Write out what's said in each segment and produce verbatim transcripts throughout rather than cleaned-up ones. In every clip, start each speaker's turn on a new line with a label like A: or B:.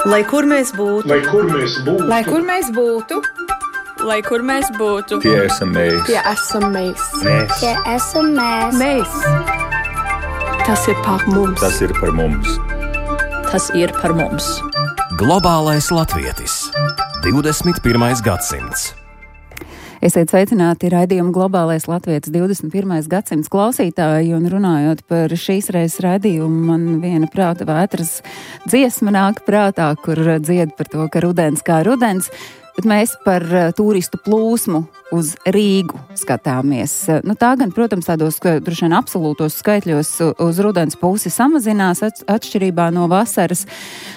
A: Lai kur mēs būtu,
B: lai kur mēs būtu,
C: lai kur mēs būtu,
D: lai kur mēs būtu,
E: tie esam mēs,
C: tie esam mēs,
E: mēs.
F: Tie esam mēs.
C: mēs. Tas ir par mums.
E: Tas ir par mums.
D: tas ir par mums.
G: Globālais latvietis. divdesmit pirmais gadsimts.
H: Esiet sveicināti raidījuma Globālais latvietis divdesmit pirmais gadsimts klausītāji, un runājot par šīs reizes raidījumu, man viena prāta vētras dziesma nāk prātā, kur dzied par to, ka rudens kā rudens, bet mēs par turistu plūsmu uz Rīgu skatāmies. Nu, tā gan, protams, tādos droši vien absolūtos skaitļos uz rudens pusi samazinās atšķirībā no vasaras,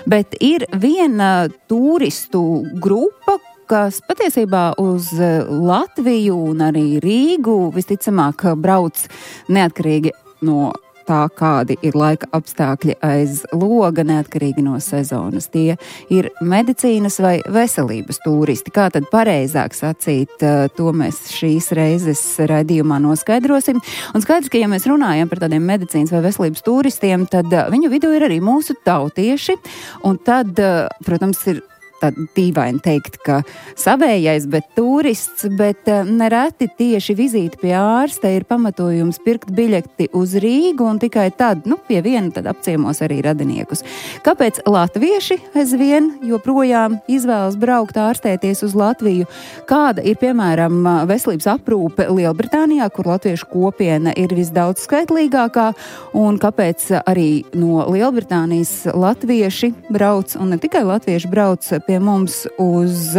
H: bet ir viena turistu grupa, kas patiesībā uz Latviju un arī Rīgu visticamāk brauc neatkarīgi no tā, kādi ir laika apstākļi aiz loga, neatkarīgi no sezonas. Tie ir medicīnas vai veselības turisti. Kā tad pareizāk sacīt, to mēs šīs reizes raidījumā noskaidrosim. Un skaidrs, ka ja mēs runājam par tādiem medicīnas vai veselības turistiem, tad viņu vidū ir arī mūsu tautieši, un tad, protams, ir tad dīvaini teikt, ka savējais, bet turists, bet nereti tieši vizīte pie ārsta ir pamatojums pirkt biļeti uz Rīgu un tikai tad, nu, pie viena tad apciemos arī radiniekus. Kāpēc latvieši aizvien joprojām izvēlas braukt ārstēties uz Latviju? Kāda ir, piemēram, veselības aprūpe Lielbritānijā, kur latviešu kopiena ir visdaudz skaitlīgākā, un kāpēc arī no Lielbritānijas latvieši brauc, un ne tikai latvieši brauc pie mums uz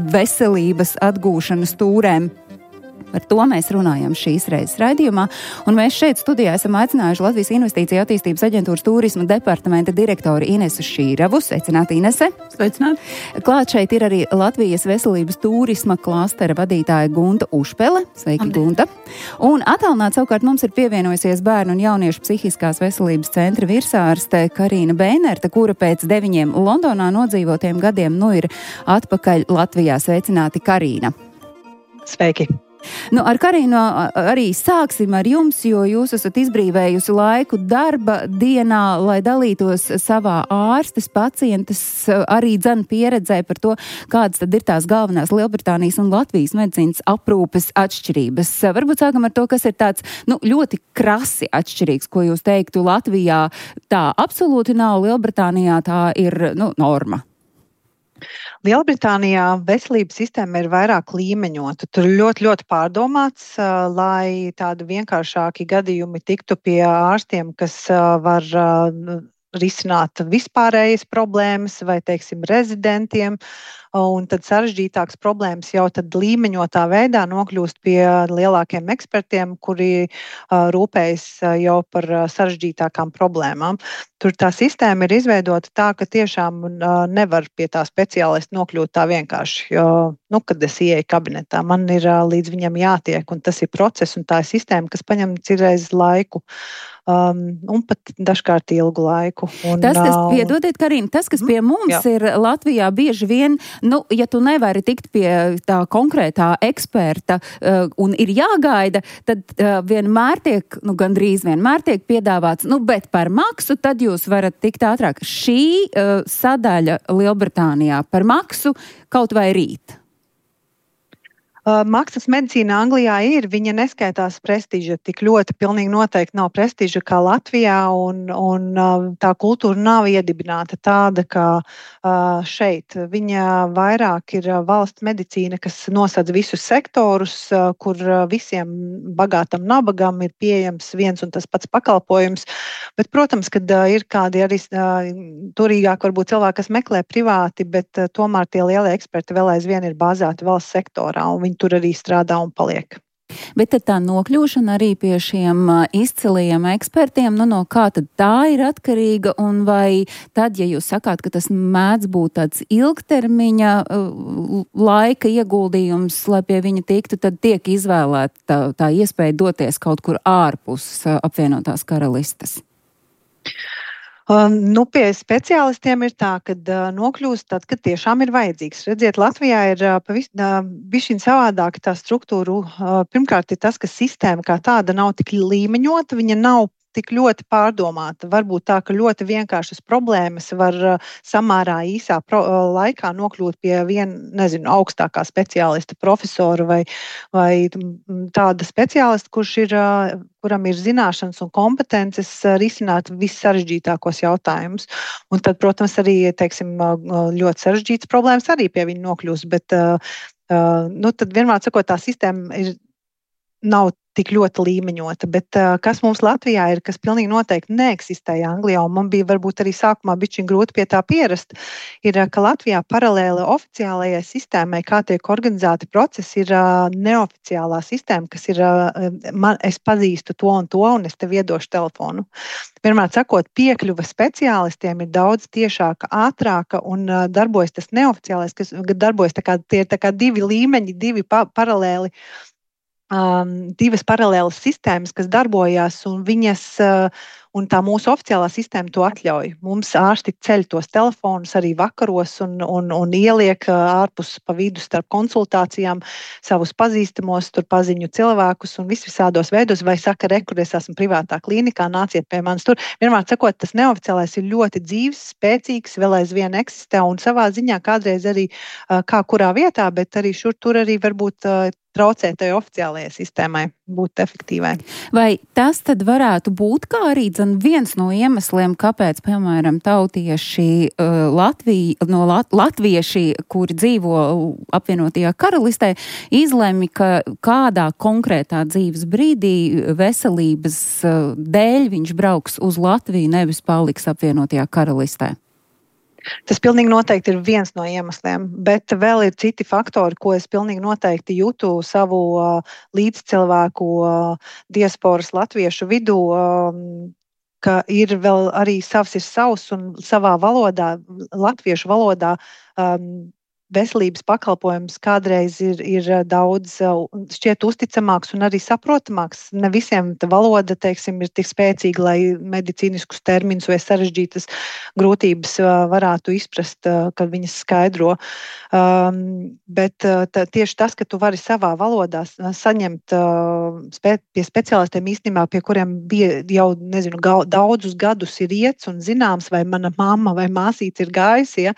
H: veselības atgūšanas tūrēm? Par to mēs runājam šīs reizes raidījumā, un mēs šeit studijā esam aicinājuši Latvijas Investīcija attīstības aģentūras turisma departamenta direktori Inesu Šīravu. Sveicināti, Inese!
D: Sveicināt!
H: Klāt šeit ir arī Latvijas veselības turisma klastera vadītāja Gunta Ušpele. Sveiki, Amdi. Gunta! Un attālināt savukārt mums ir pievienojusies bērnu un jauniešu psihiskās veselības centra virsārste Karīna Beinerta, kura pēc deviņiem Londonā nodzīvotiem gadiem nu ir atpakaļ Latvijā. Sveicināti, Karīna!
I: Sveiki!
H: Nu, ar Karīnu arī sāksim ar jums, jo jūs esat izbrīvējusi laiku darba dienā, lai dalītos savā ārstes, pacientes arī dzen pieredzē par to, kādas tad ir tās galvenās Lielbritānijas un Latvijas medicīnas aprūpes atšķirības. Varbūt sākam ar to, kas ir tāds, nu, ļoti krasi atšķirīgs, ko jūs teiktu Latvijā. Tā absolūti nav, Lielbritānijā tā ir, nu, norma.
I: Lielbritānijā veselības sistēma ir vairāk līmeņota. Tur ļoti, ļoti pārdomāts, lai tādi vienkāršāki gadījumi tiktu pie ārstiem, kas var risināt vispārējas problēmas vai, teiksim, rezidentiem, un tad sarežģītākas problēmas jau tad līmeņotā veidā nokļūst pie lielākiem ekspertiem, kuri uh, rūpējas uh, jau par uh, sarežģītākām problēmām. Tur tā sistēma ir izveidota tā, ka tiešām uh, nevar pie tā speciālista nokļūt tā vienkārši. Jo, nu, kad es ieeju kabinetā, man ir uh, līdz viņam jātiek, un tas ir process, un tā ir sistēma, kas paņem cirreiz laiku. Um, un pat dažkārt ilgu laiku. Un,
H: tas, kas,
I: uh,
H: piedodiet, Karīna, tas, kas pie mums jā. ir Latvijā bieži vien, nu, ja tu nevari tikt pie tā konkrētā eksperta uh, un ir jāgaida, tad uh, vienmēr tiek, nu, gandrīz vienmēr tiek piedāvāts, nu, bet par maksu tad jūs varat tikt ātrāk. Šī uh, sadaļa Lielbritānijā par maksu kaut vai rīt?
I: Uh, maksas medicīna Anglijā ir, viņa neskaitās prestiža, tik ļoti pilnīgi noteikti nav prestiža kā Latvijā, un, un uh, tā kultūra nav iedibināta tāda, kā uh, šeit. Viņa vairāk ir valsts medicīna, kas nosedz visus sektorus, uh, kur visiem bagātam nabagam ir pieejams viens un tas pats pakalpojums, bet, protams, kad uh, ir kādi arī uh, turīgāk varbūt cilvēki, kas meklē privāti, bet uh, tomēr tie lielie eksperti vēl aizvien ir bāzēti valsts sektorā, un viņi tur arī strādā un paliek.
H: Bet tad tā nokļūšana arī pie šiem izcilajiem ekspertiem, nu no kā tad tā ir atkarīga, un vai tad, ja jūs sakāt, ka tas mēdz būt tāds ilgtermiņa laika ieguldījums, lai pie viņa tiktu, tad tiek izvēlēta tā, tā iespēja doties kaut kur ārpus apvienotās karalistes?
I: Um, nu, pie speciālistiem ir tā, ka uh, nokļūst tad, kad tiešām ir vajadzīgs. Redziet, Latvijā ir uh, pavis, uh, bišķiņ savādāk tā struktūra. Uh, pirmkārt ir tas, ka sistēma kā tāda nav tik līmeņota, viņa nav tik ļoti pārdomāta. Varbūt tā, ka ļoti vienkāršas problēmas var samērā īsā pro, laikā nokļūt pie viena, nezinu, augstākā speciālista, profesora vai, vai tāda speciālista, kurš ir, kuram ir zināšanas un kompetences risināt vissarežģītākos jautājumus. Un tad, protams, arī, teiksim, ļoti sarežģītas problēmas arī pie viņa nokļūst, bet, nu, tad vienmēr sakot, tā sistēma ir, nav tik ļoti līmeņota, bet uh, kas mums Latvijā ir, kas pilnīgi noteikti neeksistēja Anglijā, un man bija varbūt arī sākumā bišķiņ grūti pie tā pierast, ir, ka Latvijā paralēli oficiālajai sistēmai, kā tiek organizēti procesi, ir uh, neoficiālā sistēma, kas ir, uh, man, es pazīstu to un to, un es tev iedošu telefonu. Vienmēr sakot, piekļuva speciālistiem ir daudz tiešāka, ātrāka, un uh, darbojas tas neoficiālais, kas darbojas tā kā, tie ir tā kā divi līmeņi, divi pa paralēli, Um, divas paralēlas sistēmas, kas darbojās, un viņas, uh, un tā mūsu oficiālā sistēma to atļauj. Mums ārsti ceļ tos telefonus arī vakaros un, un, un ieliek uh, ārpus pa vidu starp konsultācijām savus pazīstamos, tur paziņu cilvēkus un visvisādos veidos, vai saka, re, kur es esmu privātā klīnikā, nāciet pie manis tur. Vienmēr sakot, tas neoficiālais ir ļoti dzīves, spēcīgs, vēl aizvien eksistē, un savā ziņā kādreiz arī uh, kā kurā vietā, bet arī šur tur arī varbūt uh, traucēt tai oficiālajai sistēmai būt efektīvai.
H: Vai tas tad varētu būt kā arī dzen, viens no iemesliem, kāpēc, piemēram, tautieši uh, Latvija, no Lat latvieši, kuri dzīvo apvienotajā karalistē, izlemj, ka kādā konkrētā dzīves brīdī veselības uh, dēļ viņš brauks uz Latviju, nevis paliks apvienotajā karalistē?
I: Tas pilnīgi noteikti ir viens no iemesliem, bet vēl ir citi faktori, ko es pilnīgi noteikti jūtu savu uh, līdzcilvēku uh, diasporas latviešu vidū, um, ka ir vēl arī savs ir savs un savā valodā, latviešu valodā, um, veselības pakalpojums kādreiz ir, ir daudz šķiet uzticamāks un arī saprotamāks. Ne visiem tā valoda, teiksim, ir tik spēcīga, lai medicīniskus terminus vai sarežģītas grūtības varētu izprast, kad viņas skaidro. Um, bet tā, tieši tas, ka tu vari savā valodā saņemt uh, spē, pie speciālistiem īstenībā, pie kuriem bija jau, nezinu, ga, daudzus gadus ir iets un zināms, vai mana mamma vai māsīca ir gājusi, ja,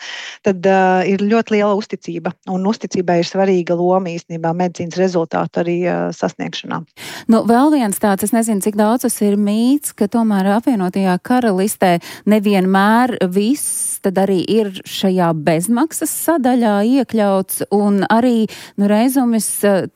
I: tad uh, ir ļoti liela uzticība. Un uzticībai ir svarīga loma īstenībā medicīnas rezultātu arī uh, sasniegšanā.
H: Nu, vēl viens tāds, es nezinu, cik daudz tas ir mīts, ka tomēr apvienotajā karalistē nevienmēr viss tad arī ir šajā bezmaksas sadaļā iekļauts, un arī, nu, reizumis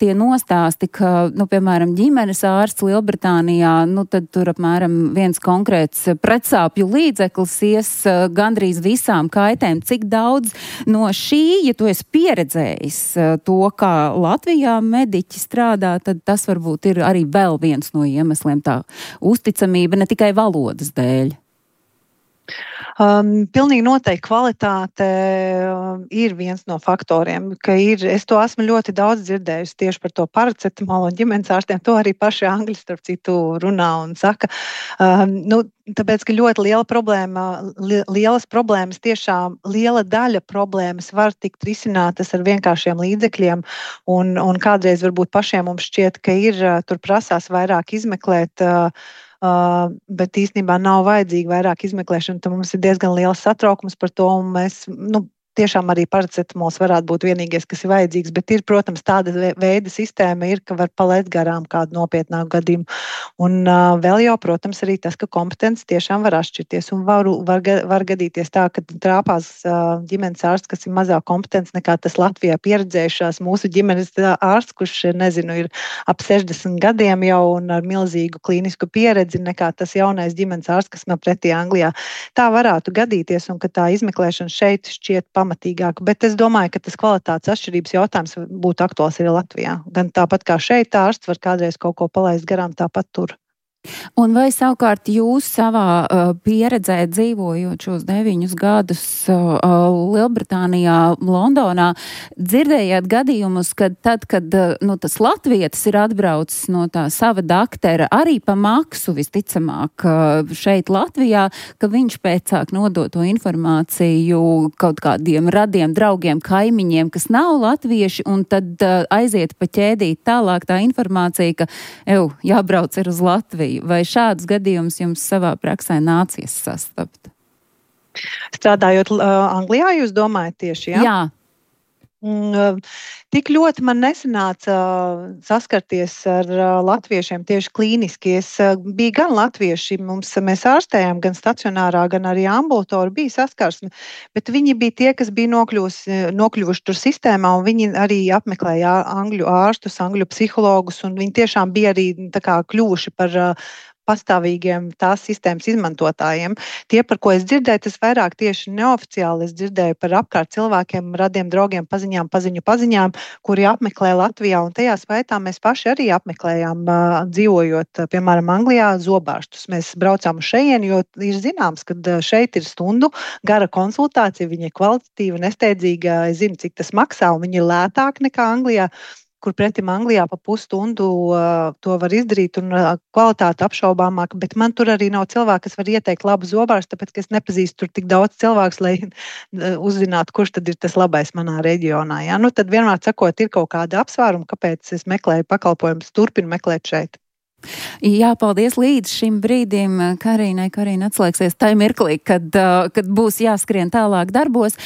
H: tie nostāsti, ka, nu, piemēram, ģimenes ārsts Lielbritānijā, nu, tad tur apmēram viens konkrēts pretsāpju līdzeklis ies gandrīz visām kaitēm. Cik daudz no šī, ja tu esi pieredzējis to, kā Latvijā mediķi strādā, tad tas varbūt ir arī vēl viens no iemesliem, tā uzticamība ne tikai valodas dēļ.
I: Um, pilnīgi noteikti kvalitāte um, ir viens no faktoriem, ka ir, es to esmu ļoti daudz dzirdējusi tieši par to paracetamolu un ģimenes ārstiem, to arī paši angļi starp citu runā un saka. Um, nu, tāpēc, ka ļoti liela problēma, li, lielas problēmas, tiešām liela daļa problēmas var tikt risinātas ar vienkāršiem līdzekļiem, un, un kādreiz varbūt pašiem mums šķiet, ka ir, tur prasās vairāk izmeklēt, uh, Uh, bet īstenībā nav vajadzīga vairāk izmeklēšana, tad mums ir diezgan liels satraukums par to, un mēs, nu, tiešām arī paracetamols varētu būt vienīgais, kas ir vajadzīgs, bet ir, protams, tāda veida sistēma ir, ka var palaist garām kādu nopietnāku gadījumu. Un uh, vēl jau, protams, arī tas, ka kompetence tiešām var atšķirties, un var, var, var gadīties tā, ka trāpās uh, ģimenes ārsts, kas ir mazāk kompetents nekā tas Latvijā pieredzējušās mūsu ģimenes ārsts, kurš, nezinu, ir ap sešdesmit gadiem jau un ar milzīgu klīnisku pieredzi nekā tas jaunais ģimenes ārsts, kas man pretī Anglijā. Tā varētu gadīties, un ka tā izmeklēšana šeit šķiet pamatīgāk, bet es domāju, ka tas kvalitātes atšķirības jautājums būtu aktuāls arī Latvijā. Gan tāpat kā šeit ārsts var kādreiz kaut ko palaist garām, tāpat tur.
H: Un vai savukārt jūs savā uh, pieredzē dzīvojot šos deviņus gadus uh, Lielbritānijā, Londonā, dzirdējāt gadījumus, kad tad, kad uh, nu, tas latvietis ir atbraucis no tā sava daktera arī pa maksu visticamāk uh, šeit Latvijā, ka viņš pēcāk nodot to informāciju kaut kādiem radiem, draugiem, kaimiņiem, kas nav latvieši, un tad uh, aiziet pa ķēdīt tālāk tā informācija, ka, ev, jābrauc ir uz Latviju. Angliju. Vai šādus gadījumus jums savā praksē nācies sastapt?
I: Strādājot uh, Anglijā, jūs domājat tieši, jā?
H: Jā.
I: Mm, tik ļoti man nesanāca saskarties ar latviešiem tieši klīniski. Es biju gan latvieši, mums, mēs ārstējām gan stacionārā, gan arī ambulatori bija saskarsme, bet viņi bija tie, kas bija nokļuvusi, nokļuvuši tur sistēmā, un viņi arī apmeklēja angļu ārstus, angļu psihologus, un viņi tiešām bija arī tā kā kļuvuši par pastāvīgiem tās sistēmas izmantotājiem. Tie, par ko es dzirdēju, tas vairāk tieši neoficiāli es dzirdēju par apkārt cilvēkiem, radiem draugiem, paziņām, paziņu paziņām, kuri apmeklē Latvijā, un tajā skaitā mēs paši arī apmeklējām, dzīvojot, piemēram, Anglijā, zobārstus. Mēs braucām uz šejieni, jo ir zināms, ka šeit ir stundu gara konsultācija, viņa ir kvalitatīva, nesteidzīga, es zinu, cik tas maksā, un viņa ir lētāk nekā Anglijā, kur pretim Anglijā pa pusstundu uh, to var izdarīt un uh, kvalitāte apšaubāmāka, bet man tur arī nav cilvēki, kas var ieteikt labu zobārstu, tāpēc, ka es nepazīstu tur tik daudz cilvēks, lai uh, uzzinātu, kurš tad ir tas labais manā reģionā. Ja? Nu, tad vienmēr sakot, ir kaut kāda apsvēruma, kāpēc es meklēju pakalpojumus, turpinu meklēt šeit.
H: Jā, paldies līdz šim brīdim Karīnai. Karīna atslēgsies tai mirklī, kad, kad būs jāskrien tālāk darbos.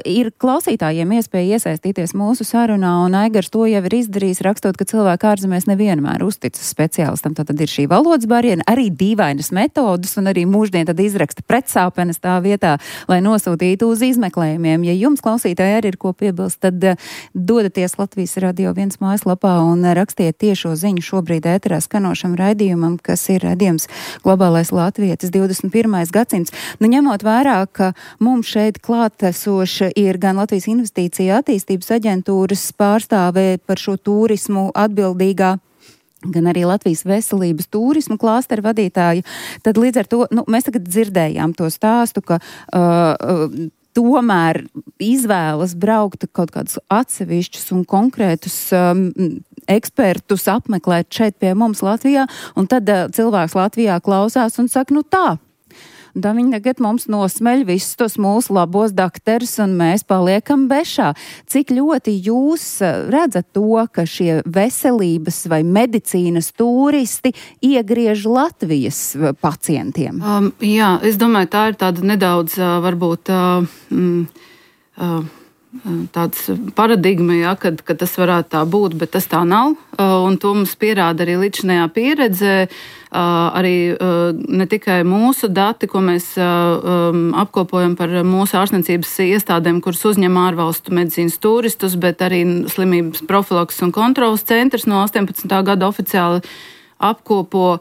H: Ir klausītājiem iespēja iesaistīties mūsu sarunā, un Aigars to jau ir izdarījis, rakstot, ka cilvēki ārzemēs nevienmēr uzticas speciālistam. Tātad ir šī valodas barjera, arī dīvainas metodas, un arī mūždien tad izraksta pretsāpenes tā vietā, lai nosūtītu uz izmeklējumiem. Ja jums, klausītāji, arī ir ko piebilst, tad dodaties Latvijas Radio viens mājaslapā un rakstiet tiešo ziņu šobrīd ēterā skano raidījumam, kas ir raidījums Globālais latvietis divdesmit pirmais gadsimts. Nu, ņemot vērā, ka mums šeit klātesoša ir gan Latvijas Investīcija attīstības aģentūras pārstāvē par šo turismu atbildīgā, gan arī Latvijas veselības turismu klāsteru vadītāja, tad līdz ar to, nu, mēs tagad dzirdējām to stāstu, ka uh, tomēr izvēlas braukt kaut kādus atsevišķus un konkrētus um, ekspertus apmeklēt šeit pie mums Latvijā, un tad uh, cilvēks Latvijā klausās un saka, nu tā. Un tā viņi tagad mums nosmeļ visus tos mūsu labos dakterus, un mēs paliekam bešā. Cik ļoti jūs redzat to, ka šie veselības vai medicīnas turisti iegriež Latvijas pacientiem?
B: Um, jā, es domāju, tā ir tāda nedaudz, uh, varbūt, uh, mm, uh, tāds paradigma, ja, kad, kad tas varētu tā būt, bet tas tā nav. Uh, un to mums pierāda arī līdzinājā pieredze. Uh, arī uh, ne tikai mūsu dati, ko mēs uh, um, apkopojam par mūsu ārstniecības iestādēm, kuras uzņem ārvalstu medicīnas turistus, bet arī slimības profilakses un kontrolas centrs no astoņpadsmitā gada oficiāli apkopo.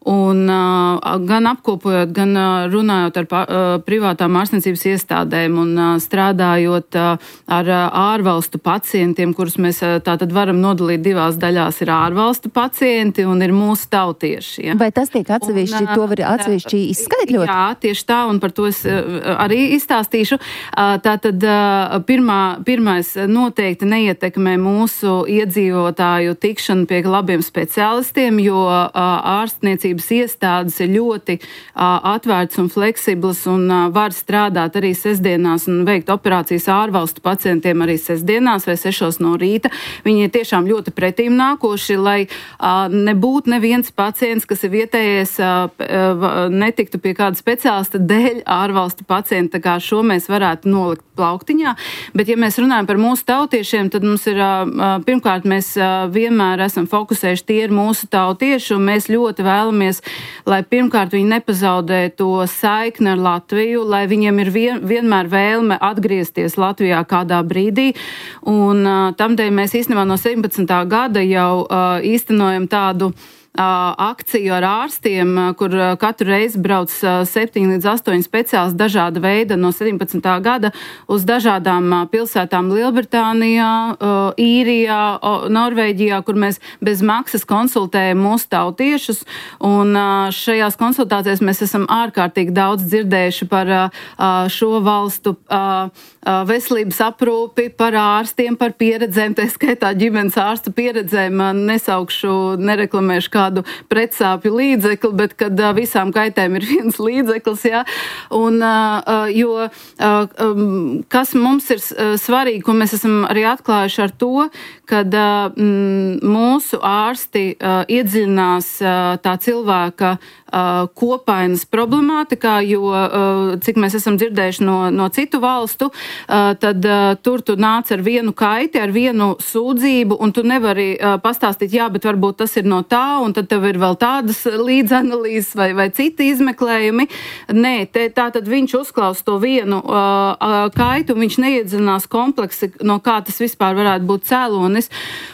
B: Un uh, gan apkopojot, gan uh, runājot ar uh, privātām ārstniecības iestādēm un uh, strādājot uh, ar uh, ārvalstu pacientiem, kurus mēs uh, tātad varam nodalīt divās daļās, ir ārvalstu pacienti un ir mūsu tautieši. Ja.
H: Vai tas tiek atsevišķi, un, uh, to var atsevišķi izskaidrot?
B: Jā, tieši tā, un par to es uh, arī izstāstīšu. Uh, tātad uh, pirmā, pirmais noteikti neietekmē mūsu iedzīvotāju tikšanu pie labiem speciālistiem, jo uh, ārstniecības iestādes ir ļoti uh, atvērts un fleksibls un uh, var strādāt arī sestdienās un veikt operācijas ārvalstu pacientiem arī sestdienās vai sešos no rīta. Viņi ir tiešām ļoti pretīm nākoši, lai uh, nebūtu neviens pacients, kas ir vietējais, uh, uh, netiktu pie kāda speciālista dēļ ārvalstu pacienta, kā šo mēs varētu nolikt plauktiņā. Bet, ja mēs runājam par mūsu tautiešiem, tad mums ir, uh, pirmkārt, mēs uh, vienmēr esam fokusējuši tie ir mūsu tautieši, un mēs ļoti vēlamies, lai pirmkārt viņi nepazaudē to saikni ar Latviju, lai viņiem ir vien, vienmēr vēlme atgriezties Latvijā kādā brīdī. Un uh, tamdēļ mēs īstenībā no septiņpadsmitā gada jau uh, īstenojam tādu akciju ar ārstiem, kur katru reizi brauc septiņi līdz astoņi speciālisti dažāda veida no septiņpadsmitā gada uz dažādām pilsētām Lielbritānijā, Īrijā, Norvēģijā, kur mēs bez maksas konsultējam mūsu tautiešus. Un šajās konsultācijās mēs esam ārkārtīgi daudz dzirdējuši par šo valstu veselības aprūpi, par ārstiem, par pieredzēm, tā skaitā ģimenes ārstu pieredzēm. Nesaukšu, nereklamēšu kā kādu pretsāpju līdzekli, bet kad uh, visām kaitēm ir viens līdzeklis, jā. Un, uh, jo uh, um, kas mums ir svarīgi, ko mēs esam arī atklājuši ar to, kad uh, m, mūsu ārsti uh, iedziļinās uh, tā cilvēka uh, kopainas problemātikā, jo, uh, cik mēs esam dzirdējuši no, no citu valstu, uh, tad uh, tur tu nāc ar vienu kaiti, ar vienu sūdzību, un tu nevari uh, pastāstīt, jā, bet varbūt tas ir no tā, un tad tev ir vēl tādas līdzanalīzes vai, vai citi izmeklējumi. Nē, te, tā tad viņš uzklaus to vienu uh, uh, kaitu, un viņš neiedziļinās kompleksi, no kā tas vispār varētu būt cēlonis.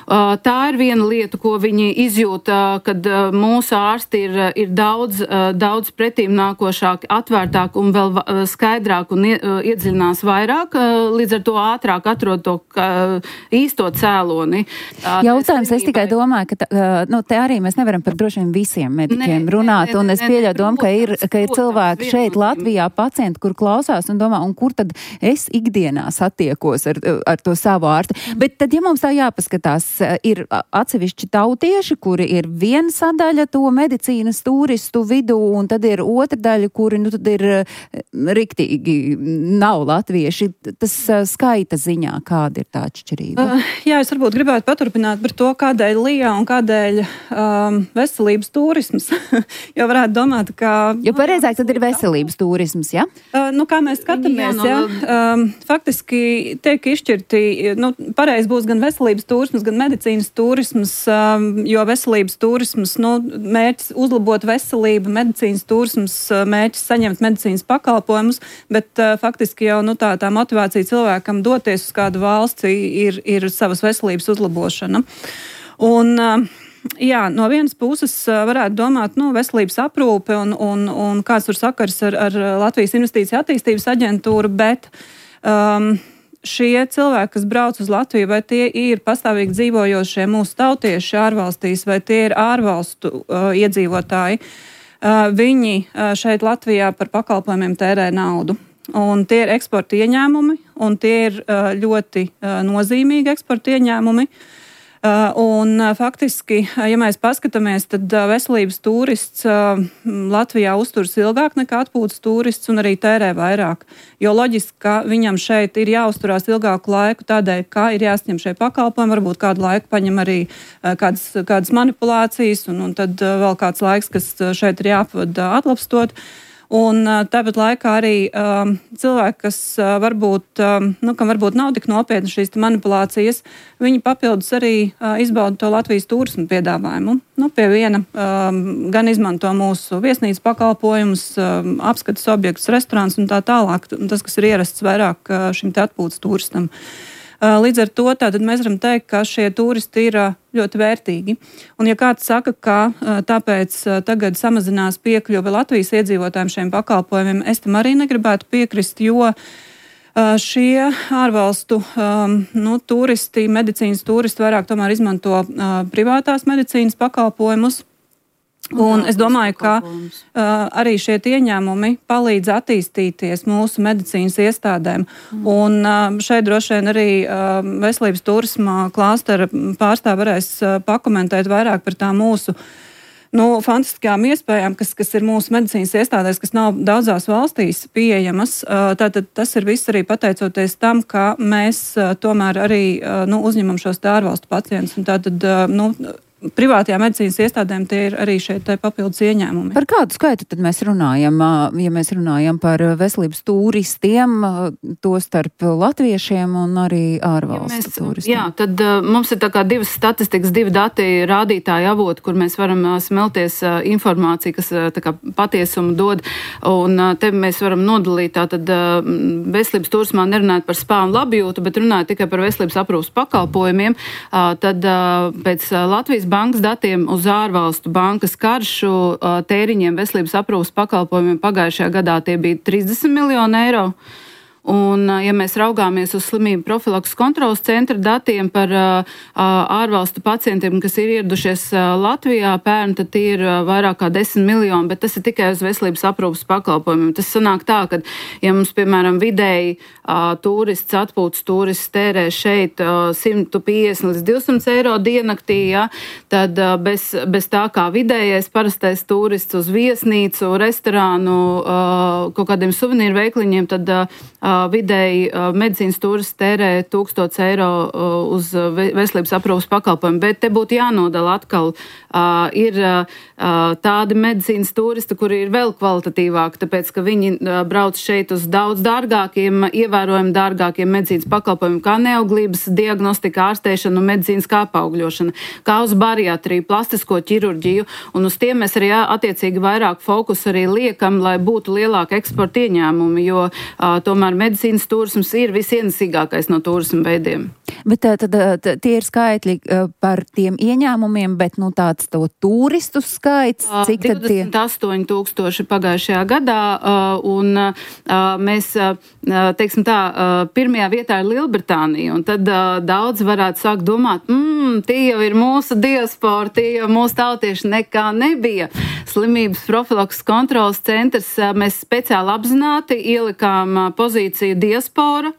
B: Uh, tā ir viena lieta, ko viņi izjūt, uh, kad uh, mūsu ārsti ir, ir daudz, uh, daudz pretīm nākošāk, atvērtāk un vēl uh, skaidrāk un uh, iedziļinās vairāk, uh, līdz ar to ātrāk atrod to uh, īsto cēloni. Uh,
H: Jautājums, es tikai domāju, ka tā, uh, nu, te arī mēs nevaram par droši vien visiem mediķiem ne, runāt, ne, ne, un es pieļauju domu, ka ir, ka ir cilvēki šeit Latvijā pacienti, kur klausās un domā, un kur tad es ikdienā satiekos ar, ar to savu ārsti. Bet tad, ja mums tā jāpaskatās, ir atsevišķi tautieši, kuri ir viena sadaļa to medicīnas turistu vidū, un tad ir otra daļa, kuri, nu, tad ir riktīgi nav latvieši. Tas skaita ziņā, kāda ir tā atšķirība?
E: Uh, jā, es varbūt gribētu paturpināt par to, kādēļ Lijā un kādēļ um, veselības turisms. Jo varētu domāt, ka...
H: Jo pareizāk tad ir veselības turisms, jā? Ja?
E: Uh, nu, kā mēs skatāmies, jā, um, faktiski tiek izšķirti, nu, pareizi būs gan veselības turisms, gan medicīnas turisms, jo veselības turisms, nu, mērķis uzlabot veselību, medicīnas turisms, mērķis saņemt medicīnas pakalpojumus, bet faktiski jau, nu, tā, tā motivācija cilvēkam doties uz kādu valsti ir, ir savas veselības uzlabošana. Un, jā, no vienas puses varētu domāt, nu, veselības aprūpe un, un, un kāds tur sakars ar, ar Latvijas Investīcija attīstības aģentūru, bet um, šie cilvēki, kas brauc uz Latviju, vai tie ir pastāvīgi dzīvojošie mūsu tautieši ārvalstīs, vai tie ir ārvalstu uh, iedzīvotāji, uh, viņi uh, šeit Latvijā par pakalpojumiem tērē naudu. Un tie ir eksporta ieņēmumi, un tie ir uh, ļoti uh, nozīmīgi eksporta ieņēmumi. Uh, un uh, faktiski, uh, ja mēs paskatāmies, tad uh, veselības turists uh, Latvijā uzturas ilgāk nekā atpūtas turists un arī tērē vairāk. Jo loģiski, ka viņam šeit ir jāuzturās ilgāku laiku tādēļ, ka ir jāsņem šie pakalpojumi, varbūt kādu laiku paņem arī uh, kādas, kādas manipulācijas un, un tad uh, vēl kāds laiks, kas šeit ir jāpavada atlapstot. Un tāpat laikā arī um, cilvēki, kas uh, varbūt, um, nu, kam varbūt nav tik nopietni šīs manipulācijas, viņi papildus arī uh, izbauda to Latvijas turismu piedāvājumu. Nu, pie viena um, gan izmanto mūsu viesnīcas pakalpojumus, um, apskates objektus, restorāns un tā tālāk. Tas, kas ir ierasts vairāk uh, šim te atpūtas turistam. Līdz ar to tātad mēs varam teikt, ka šie turisti ir ļoti vērtīgi. Un ja kāds saka, ka tāpēc tagad samazinās piekļuve Latvijas iedzīvotājiem šiem pakalpojumiem, es tam arī negribētu piekrist, jo šie ārvalstu nu, turisti, medicīnas turisti vairāk tomēr izmanto privātās medicīnas pakalpojumus. Un es domāju, ka uh, arī šie ieņēmumi palīdz attīstīties mūsu medicīnas iestādēm. Mm. Un uh, šeit droši vien arī uh, veselības turisma klāstera pārstāv varēs uh, pakomentēt vairāk par tām mūsu nu, fantastiskām iespējām, kas, kas ir mūsu medicīnas iestādēs, kas nav daudzās valstīs pieejamas. Uh, tātad tas ir viss arī pateicoties tam, ka mēs uh, tomēr arī uh, nu, uzņemam šos ārvalstu pacientus. Un tātad, uh, nu, privātajā medicīnas iestādēm tie ir arī šeit papildus ieņēmumi.
H: Par kādu skaitu tad mēs runājam, ja mēs runājam par veselības turistiem, to starp latviešiem un arī ārvalstu ja mēs, turistiem?
B: Jā, tad uh, mums ir tā kā divas statistikas, divi dati rādītāji avoti, kur mēs varam uh, smelties uh, informāciju, kas uh, tā kā patiesumu dod, un uh, te mēs varam nodalīt tātad uh, veselības turismā nerunāt par spā un labjūtu, bet runāt tikai par veselības aprūpas pakalpojumiem, uh, tad uh, pēc uh, Latvijas bankas datiem uz ārvalstu bankas karšu tēriņiem veselības aprūpas pakalpojumiem pagājušajā gadā tie bija trīsdesmit miljoni eiro. Un, ja mēs raugāmies uz slimību profilakses kontrolas centra datiem par uh, ārvalstu pacientiem, kas ir ieradušies uh, Latvijā pērn, tad tie ir uh, vairāk kā desmit miljoni, bet tas ir tikai uz veselības aprūpas pakalpojumiem. Tas sanāk tā, ka, ja mums, piemēram, vidēji uh, turists, atpūtas turists tērē šeit uh, simt piecdesmit līdz divsimt eiro diennaktī, ja, tad uh, bez, bez tā kā vidējais parastais turists uz viesnīcu, restorānu, uh, kaut kādiem suvenīru veikliņiem, tad uh, vidēji medicīnas turists tērē tūkstots eiro uz veselības aprūpas pakalpojumu, bet te būtu jānodala atkal. Uh, ir uh, tādi medicīnas turisti, kuri ir vēl kvalitatīvāki, tāpēc, ka viņi uh, brauc šeit uz daudz dārgākiem, ievērojami dārgākiem medicīnas pakalpojumiem, kā neauglības diagnostika, ārstēšana un medicīniskā apaugļošana, kā uz bariatriju, plastisko ķirurģiju, un uz tiem mēs arī attiecīgi vairāk fokusu arī liekam, lai būtu lielāka eksporta ieņēmumi, jo uh, tomēr medicīnas turisms ir visienesīgākais no turismu veidiem.
H: Bet tad, tad tie ir skaitļi par tiem ieņēmumiem, bet nu tāds to turistu skaits, cik tad tie?
B: divdesmit astoņi tūkstoši pagājušajā gadā, un mēs, teiksim tā, pirmajā vietā ir Lielbritānija, un tad daudz varētu sākt domāt, mmm, tie jau ir mūsu diaspora, tie jau mūsu tautieši nekā nebija. Slimības profilakses kontrolas centrs, mēs speciāli apzināti ielikām pozīciju diaspora,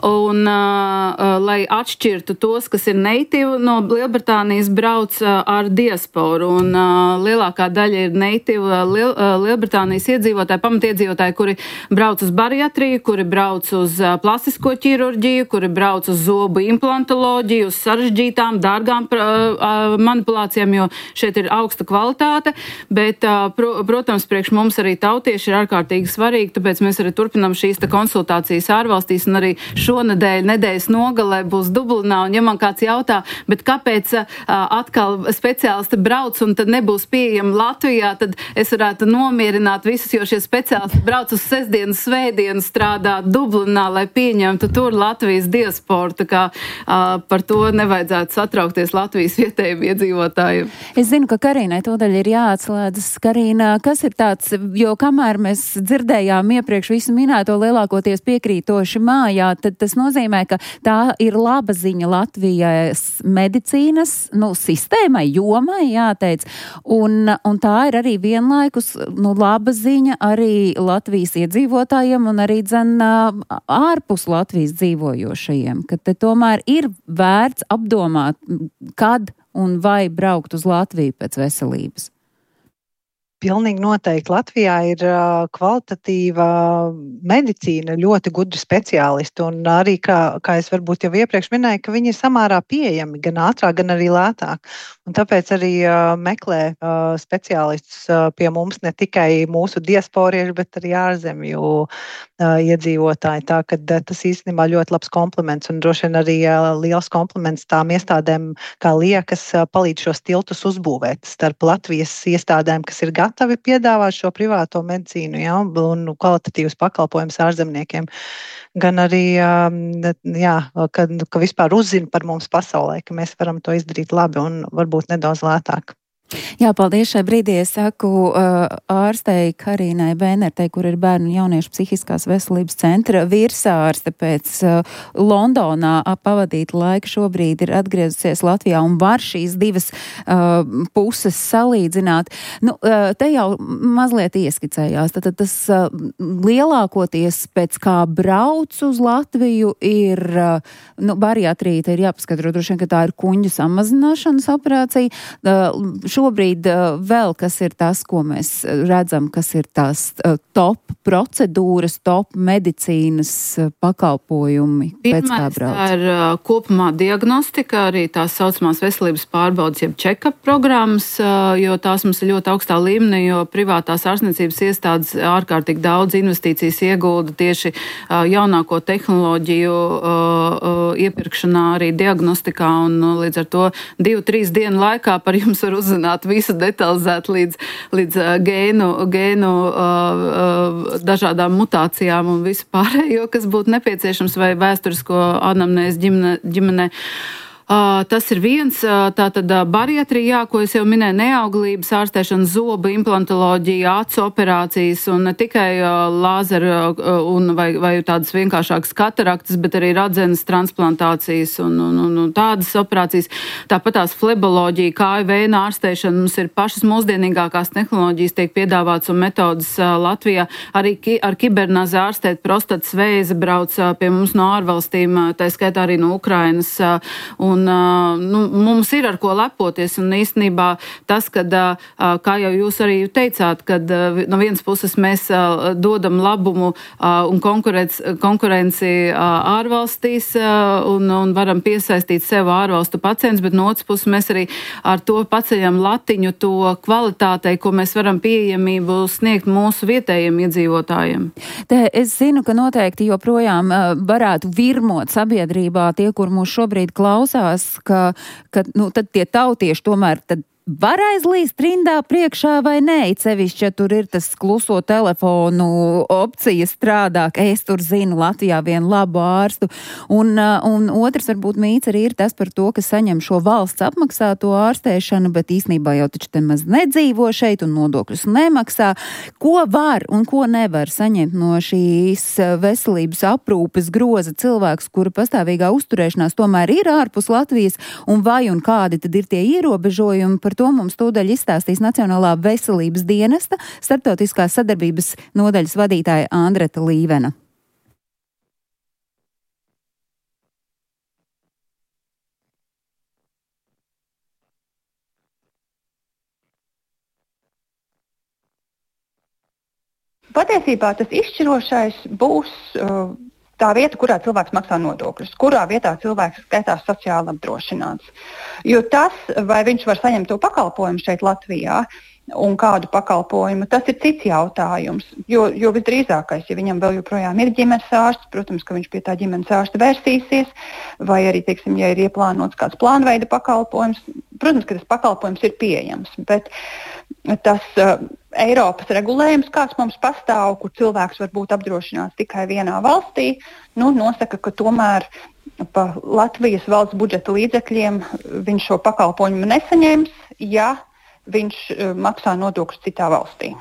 B: un, uh, lai atšķirtu tos, kas ir native no Lielbritānijas, brauc uh, ar diasporu. Un uh, lielākā daļa ir native uh, Liel, uh, Lielbritānijas iedzīvotāji, pamatiedzīvotāji, kuri brauc uz bariatriju, kuri brauc uz uh, plastisko ķirurģiju, kuri brauc uz zobu implantoloģiju, uz sarežģītām, dārgām uh, uh, manipulācijām, jo šeit ir augsta kvalitāte. Bet, uh, pro, protams, priekš mums arī tautieši ir ārkārtīgi svarīgi, tāpēc mēs arī turpinām šīs te konsultācijas ārvalstīs, un arī šonedēļ, nedēļas nogalē būs Dublinā, un ja man kāds jautā, bet kāpēc uh, atkal speciālisti brauc un tad nebūs pieejami Latvijā, tad es varētu nomierināt visus, jo šie speciālisti brauc uz sestdienu, svētdienu strādāt Dublinā, lai pieņemtu tur Latvijas diasporu, tā kā uh, par to nevajadzētu satraukties Latvijas vietējiem iedzīvotājiem.
H: Es zinu, ka Karīnai tūdaļ ir jāatslēdzas. Karīna, kas ir tāds, jo kamēr mēs dzirdējām iepriekš visu minēto lielākoties piekrītoši mājā, tad tas nozīmē, ka tā ir laba ziņa Latvijas medicīnas nu, sistēmai, jomai, jāteic. Un, un tā ir arī vienlaikus nu, laba ziņa arī Latvijas iedzīvotājiem un arī dzen ārpus Latvijas dzīvojošajiem, ka te tomēr ir vērts apdomāt, kad un vai braukt uz Latviju pēc veselības.
I: Pilnīgi noteikti. Latvijā ir uh, kvalitatīva medicīna, ļoti gudri speciālisti, un arī, kā, kā es varbūt jau iepriekš minēju, ka viņi ir samērā pieejami, gan ātrāk, gan arī lētāk. Un tāpēc arī uh, meklē uh, speciālistus uh, pie mums ne tikai mūsu diasporieši, bet arī ārzemju uh, iedzīvotāji. Tā, ka uh, tas īstenībā ļoti labs kompliments, un droši vien arī uh, liels kompliments tām iestādēm, kā liekas, uh, palīdz šos tiltus uzbūvēt starp Latvijas iestādēm, kas ir gatavi gatavi piedāvāt šo privāto medicīnu, ja, un kvalitatīvus pakalpojumus ārzemniekiem, gan arī, jā, ka, ka vispār uzzina par mums pasaulē, ka mēs varam to izdarīt labi un varbūt nedaudz lētāk.
H: Jā, paldies. Šai brīdī es saku uh, ārstei Karīnai Bēnertei, kur ir bērnu un jauniešu psihiskās veselības centra virsārste pēc uh, Londonā pavadīt laiku šobrīd ir atgriezusies Latvijā un var šīs divas uh, puses salīdzināt. Nu, uh, te jau mazliet ieskicējās. Tad tas uh, lielākoties pēc kā brauc uz Latviju ir, uh, nu, bariatrija, te ir jāpaskatro droši vien, ka tā ir kuņģu samazināšanas operācija. Uh, Šobrīd uh, vēl kas ir tas, ko mēs redzam, kas ir tās uh, top procedūras, top medicīnas uh, pakalpojumi,
B: Pirmais,
H: pēc kā brauc?
B: Tā ir uh, kopumā diagnostika, arī tās saucamās veselības pārbaudas, jeb check-up programmas, uh, jo tās mums ir ļoti augstā līmenī, jo privātās ārstniecības iestādes ārkārtīgi daudz investīcijas iegulda tieši uh, jaunāko tehnoloģiju uh, uh, iepirkšanā, arī diagnostikā, un uh, līdz ar to divu, trīs dienu laikā par jums var uzzināt visu detalizēt līdz, līdz uh, gēnu, gēnu uh, uh, dažādām mutācijām un visu pārējo, kas būtu nepieciešams, vai vēsturisko anamnēzi ģimene, ģimenē. Uh, tas ir viens, uh, tātad uh, bariatrija, ko es jau minēju, neauglības ārstēšana, zobu implantoloģija, acu operācijas un ne tikai uh, lāzera uh, un vai, vai tādas vienkāršākas kataraktas, bet arī radzenes transplantācijas un, un, un, un tādas operācijas. Tāpat tās fleboloģija, kāju vēna ārstēšana, mums ir pašas mūsdienīgākās tehnoloģijas tiek piedāvāts un metodas uh, Latvijā. Arī ki, ar kibernazi ārstēt prostatas vēzi brauc uh, pie mums no ārvalstīm, uh, tā skaitā arī no Ukrainas. Uh, un Un, nu, mums ir ar ko lepoties, un īstenībā tas, kad, kā jau jūs arī teicāt, kad no vienas puses mēs dodam labumu un konkurenci ārvalstīs un, un varam piesaistīt sev ārvalstu pacientus, bet no otras puses mēs arī ar to paceļam latiņu to kvalitātei, ko mēs varam pieejamību sniegt mūsu vietējiem iedzīvotājiem.
H: Te es zinu, ka noteikti joprojām varētu virmot sabiedrībā tie, kur mūs šobrīd klausās, ka, ka nu, tad tie tautieši tomēr tad var aizlīst rindā priekšā vai nē, cevišķi, ja tur ir tas kluso telefonu opcija strādā, ka es tur zinu Latvijā vienu labu ārstu. Un, un otrs varbūt mīts arī ir tas par to, ka saņem šo valsts apmaksāto ārstēšanu, bet īstenībā jau taču te maz nedzīvo šeit un nodokļus nemaksā. Ko var un ko nevar saņemt no šīs veselības aprūpes groza cilvēks, kura pastāvīgā uzturēšanās tomēr ir ārpus Latvijas, un vai un kādi tad ir tie ierobežojumi? Par to mums tūdaļ izstāstīs Nacionālā veselības dienesta starptautiskās sadarbības nodaļas vadītāja Andreta Līvena.
F: Patiesībā tas izšķirošais būs uh, tā vieta, kurā cilvēks maksā nodokļus, kurā vietā cilvēks skaitās sociāli apdrošināts. Jo tas, vai viņš var saņemt to pakalpojumu šeit Latvijā un kādu pakalpojumu, tas ir cits jautājums. Jo, jo visdrīzākais, ja viņam vēl joprojām ir ģimenes ārsts, protams, ka viņš pie tā ģimenes ārsta vērsīsies, vai arī, teiksim, ja ir ieplānots kāds plānveida pakalpojums, protams, ka tas pakalpojums ir pieejams, bet tas uh, Eiropas regulējums, kāds mums pastāv, kur cilvēks var būt apdrošināts tikai vienā valstī, nu, nosaka, ka tomēr pa Latvijas valsts budžeta līdzekļiem viņš šo pakalpojumu nesaņems, ja viņš uh, maksā nodokļus citā valstī.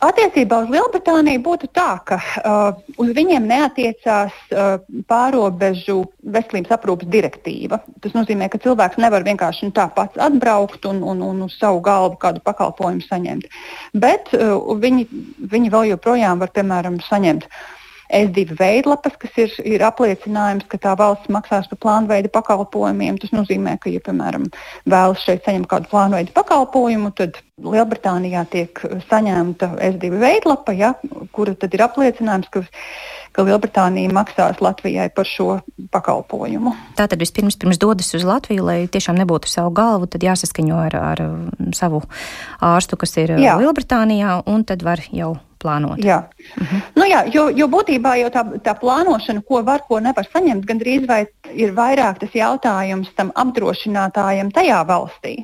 F: Attiecībā uz Lielbritāniju būtu tā, ka uh, uz viņiem neatiecās uh, pārobežu veselības aprūpes direktīva. Tas nozīmē, ka cilvēks nevar vienkārši nu, tā pats atbraukt un, un, un uz savu galvu kādu pakalpojumu saņemt. Bet uh, viņi, viņi vēl joprojām var, piemēram, saņemt S divi veidlapas, kas ir, ir apliecinājums, ka tā valsts maksās par plānveida pakalpojumiem. Tas nozīmē, ka, ja, piemēram, vēlas šeit saņemt kādu plānveida pakalpojumu, tad Lielbritānijā tiek saņemta S divi veidlapa, ja, kura tad ir apliecinājums, ka, ka Lielbritānija maksās Latvijai par šo pakalpojumu.
J: Tātad vispirms pirms dodas uz Latviju, lai tiešām nebūtu savu galvu, tad jāsaskaņo ar, ar savu ārstu, kas ir jā. Lielbritānijā, un tad var jau plānot.
F: Jā, uh-huh. nu jā jo, jo būtībā jau tā, tā plānošana, ko var, ko nevar saņemt, gandrīz vai ir vairāk tas jautājums tam apdrošinātājam tajā valstī.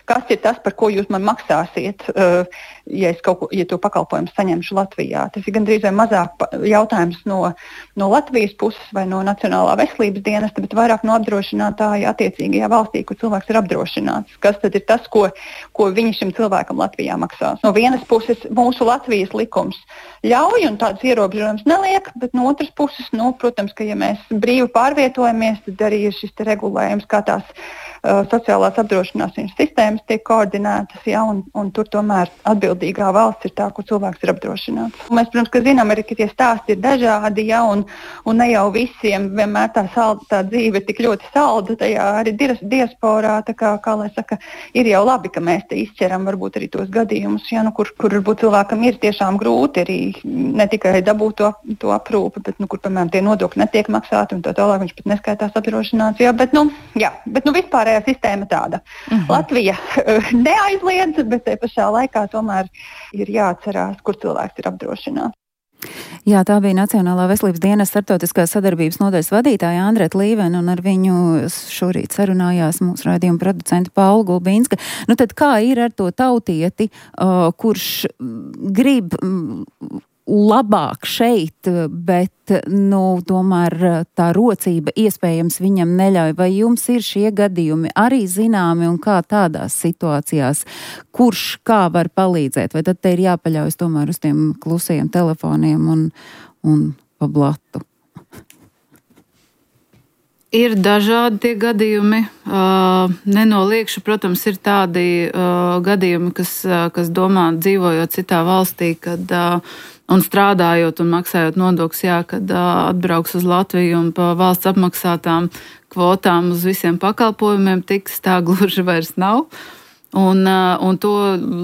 F: Kas ir tas, par ko jūs man maksāsiet, uh, ja es kaut ko, ja to pakalpojumu saņemšu Latvijā? Tas ir gandrīz vai mazāk jautājums no, no Latvijas puses vai no Nacionālā veselības dienesta, bet vairāk no apdrošinātāja attiecīgajā valstī, kur cilvēks ir apdrošināts. Kas tad ir tas, ko, ko viņi šim cilvēkam Latvijā maksās? No vienas puses mūsu Latvijas likums ļauj un tādas ierobežojums neliek, bet no otras puses, nu, protams, ka ja mēs brīvi pārvietojamies, tad arī ir šis te regulējums, kā tās uh, sociālās apdrošināšanas sistēmas tiek koordinētas, ja, un, un tur tomēr atbildīgā valsts ir tā, kur cilvēks ir apdrošināts. Mēs, protams, ka zinām arī, ka tie stāsti ir dažādi, ja, un, un ne jau visiem vienmēr tā, salda, tā dzīve ir tik ļoti salda, tajā arī diasporā, tā kā, kā lai saka, ir jau labi, ka mēs te izķeram varbūt arī tos gadījumus, ja, nu, kur, kur varbūt cilvēkam ir tiešām grūti arī ne tikai dabūt to, to aprūpi, bet, nu, kur, piemēram, tie nodokļi netiek maksāti un tā tālāk viņš pat neskaitās apdrošināts, jā, bet, nu, jā, bet, nu, vispārējā sistēma tāda. Mhm. Latvija neaizliedz, bet te pašā laikā tomēr ir jāatcerās, kur cilvēks ir apdrošināts.
H: Jā, tā bija Nacionālā veselības dienesta starptautiskās sadarbības nodaļas vadītāja Andreta Līvena, un ar viņu šorīt sarunājās mūsu raidījuma producenta Paula Gulbīnska. Nu tad kā ir ar to tautieti, uh, kurš grib labāk šeit, bet, nu, tomēr tā rocība iespējams viņam neļauj. Vai jums ir šie gadījumi arī zināmi un kā tādās situācijās, kurš kā var palīdzēt? Vai tad te ir jāpaļaujas tomēr uz tiem klusajiem telefoniem un, un pa blatu?
B: Ir dažādi tie gadījumi. Uh, nenoliekšu, protams, ir tādi uh, gadījumi, kas, uh, kas domā, dzīvojot citā valstī, kad, uh, un strādājot un maksājot nodokļus, jā, kad uh, atbrauks uz Latviju un pa valsts apmaksātām kvotām uz visiem pakalpojumiem tiks, tā gluži vairs nav. Un, uh, un to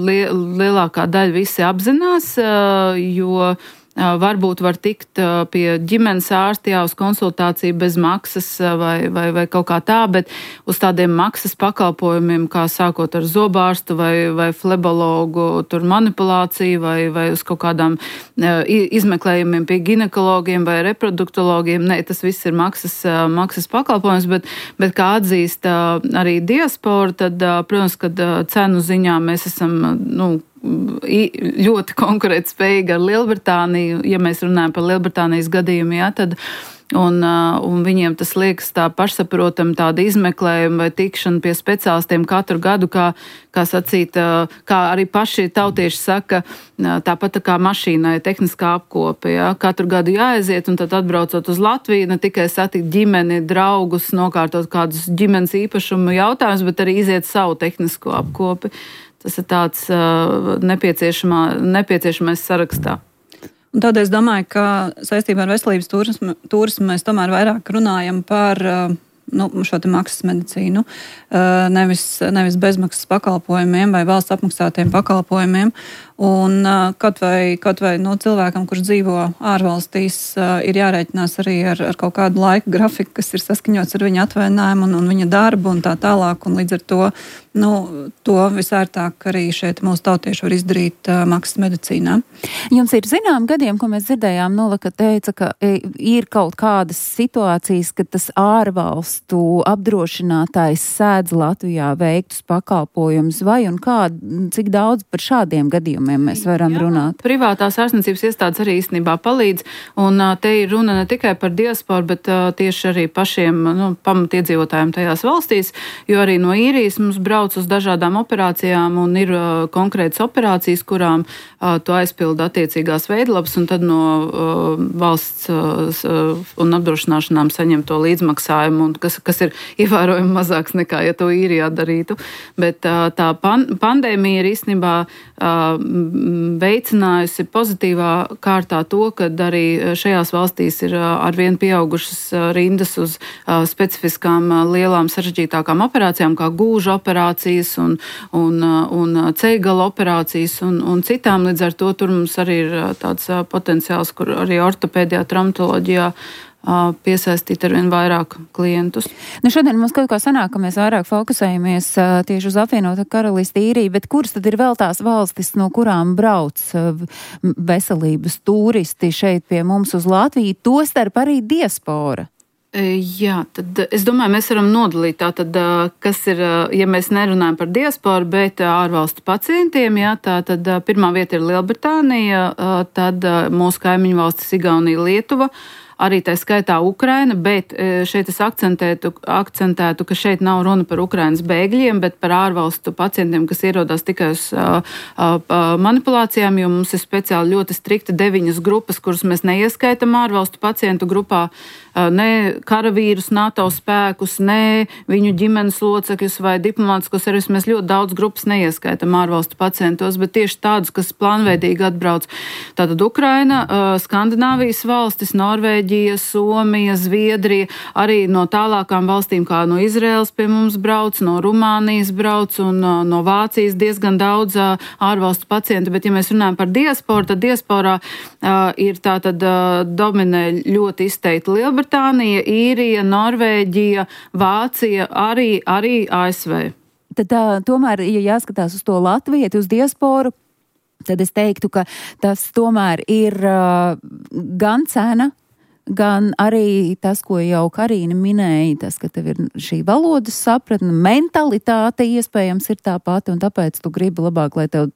B: li- lielākā daļa visi apzinās, uh, jo varbūt var tikt pie ģimenes ārsta, jā, uz konsultāciju bez maksas vai, vai, vai kaut kā tā, bet uz tādiem maksas pakalpojumiem, kā sākot ar zobārstu vai, vai flebologu, tur manipulāciju vai, vai uz kaut kādām izmeklējumiem pie ginekologiem vai reproduktologiem. Nē, tas viss ir maksas, maksas pakalpojums, bet, bet kā atzīst arī diaspora, tad, protams, kad cenu ziņā mēs esam, nu, ļoti konkurētspējīgi ar Lielbritāniju, ja mēs runājam par Lielbritānijas gadījumu, jā, tad, un, un viņiem tas liekas tā pašsaprotami tāda izmeklējuma vai tikšana pie speciālistiem katru gadu, kā, kā sacīt, kā arī paši tautieši saka, tāpat tā kā mašīnai, tehniskā apkope, jā, katru gadu jāaiziet, un tad atbraucot uz Latviju, ne tikai satikt ģimeni, draugus, nokārtot kādus ģimenes īpašumu jautājumus, bet arī iziet savu tehnisko apkopi. Tas ir tāds uh, nepieciešamais sarakstā.
E: Un tādēļ es domāju, ka saistībā ar veselības turismu, turismu mēs tomēr vairāk runājam par uh, nu, šo te maksas medicīnu, uh, nevis, nevis bezmaksas pakalpojumiem vai valsts apmaksātiem pakalpojumiem. Un uh, kaut vai, kaut vai no cilvēkam, kurš dzīvo ārvalstīs, uh, ir jārēķinās arī ar, ar kaut kādu laika grafiku, kas ir saskaņots ar viņa atvaļinājumu un, un viņa darbu un tā tālāk. Un līdz ar to, nu, to visērtāk arī šeit mūsu tautieši var izdarīt uh, maksas medicīnā.
H: Jums ir zinām gadiem, ko mēs dzirdējām, Nolaka teica, ka ir kaut kādas situācijas, ka tas ārvalstu apdrošinātājs sēdz Latvijā veiktus pakalpojumus, vai un kā, cik daudz par šādiem gadījumiem mēs varam Jā, runāt?
B: Privātās ārstniecības iestādes arī īstenībā palīdz, un uh, te ir runa ne tikai par diasporu, bet uh, tieši arī pašiem nu, pamatiedzīvotājiem tajās valstīs, jo arī no īrijas mums brauc uz dažādām operācijām, un ir uh, konkrētas operācijas, kurām uh, tu aizpildi attiecīgās veidlapas, un tad no uh, valsts uh, un apdrošināšanām saņem to līdzmaksājumu, un kas, kas ir ievērojami mazāks nekā, ja to īrijā darītu. Bet uh, tā pan- pandēmija ir īstenībā uh, veicinājusi pozitīvā kārtā to, ka arī šajās valstīs ir arvien pieaugušas rindas uz specifiskām lielām sarežģītākām operācijām, kā gūža operācijas un, un, un ceigala operācijas un, un citām. Līdz ar to tur mums arī ir tāds potenciāls, kur arī ortopēdijā, traumatoloģijā piesaistīt ar vien vairāk klientus.
H: Nu, šodien mums kaut kā sanāk, ka mēs vairāk fokusējamies uh, tieši uz apvienoto karalisti īriju, bet kuras tad ir vēl tās valstis, no kurām brauc uh, veselības turisti šeit pie mums uz Latviju, tostarp arī diaspora?
B: Jā, tad es domāju, mēs varam nodalīt tātad, kas ir, ja mēs nerunājam par diasporu, bet ārvalstu pacientiem, jā, tā tad pirmā vieta ir Lielbritānija, tad mūsu kaimiņu valstis Igaunija, Lietuva, arī tā skaitā Ukraina, bet šeit es akcentētu, akcentētu, ka šeit nav runa par Ukrainas bēgļiem, bet par ārvalstu pacientiem, kas ierodās tikai uz uh, uh, manipulācijām, jo mums ir speciāli ļoti strikti deviņas grupas, kuras mēs neieskaitam ārvalstu pacientu grupā, uh, ne karavīrus, NATO spēkus, ne viņu ģimenes locekļus vai diplomātiskos servis. Mēs ļoti daudz grupas neieskaitam ārvalstu pacientos, bet tieši tādus, kas plānveidīgi atbrauc. Tātad Ukraina, uh, Skandināvijas valstis, Norvēģija, Somija, Zviedrija, arī no tālākām valstīm, kā no Izraēlas pie mums brauc, no Rumānijas brauc un no Vācijas diezgan daudz ārvalstu pacientu, bet ja mēs runājam par diasporu, tad diasporā uh, ir tātad uh, dominē ļoti izteikti Lielbritānija, Īrija, Norvēģija, Vācija, arī, arī A S V.
H: Tad tā, tomēr, ja jāskatās uz to latvieti, uz diasporu, tad es teiktu, ka tas tomēr ir uh, gan cena, gan arī tas, ko jau Karīna minēja, tas, ka tev ir šī valodas sapratne, mentalitāte iespējams ir tā pati, un tāpēc tu gribi labāk, lai tev